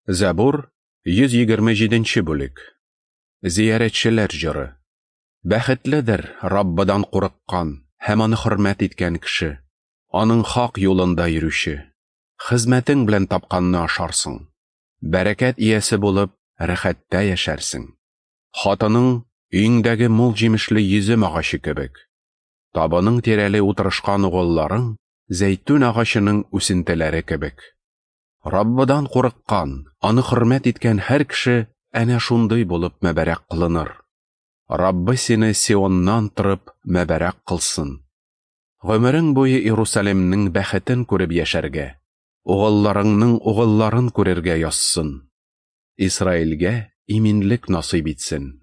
Зәбур, 127 нче бүлек. Зиярәтчеләр җыры. Бәхетледер Раббыдан курыккан һәм аны хөрмәт иткән кеше, аның хак юлында йөрүче. Хезмәтең белән тапканны ашарсың. Бәрәкәт иясе булып, рәхәттә яшәрсең. Хатының өеңдәге мул җимешле йөзем агачы кебек. Табының тирәли утырышкан угылларың зәйтүн агачының үсентеләре кебек. Раббыдан курыккан, аны хөрмәт иткән һәр кеше әнә шундый булып мәбәрәк кылыныр. Раббы сине Сионнан торып мәбәрәк кылсын. Гомерең буе Иерусалимнең бәхетен күреп яшәргә, угылларыңның угылларын күрергә язсын. Исраилгә иминлек насыйп итсен.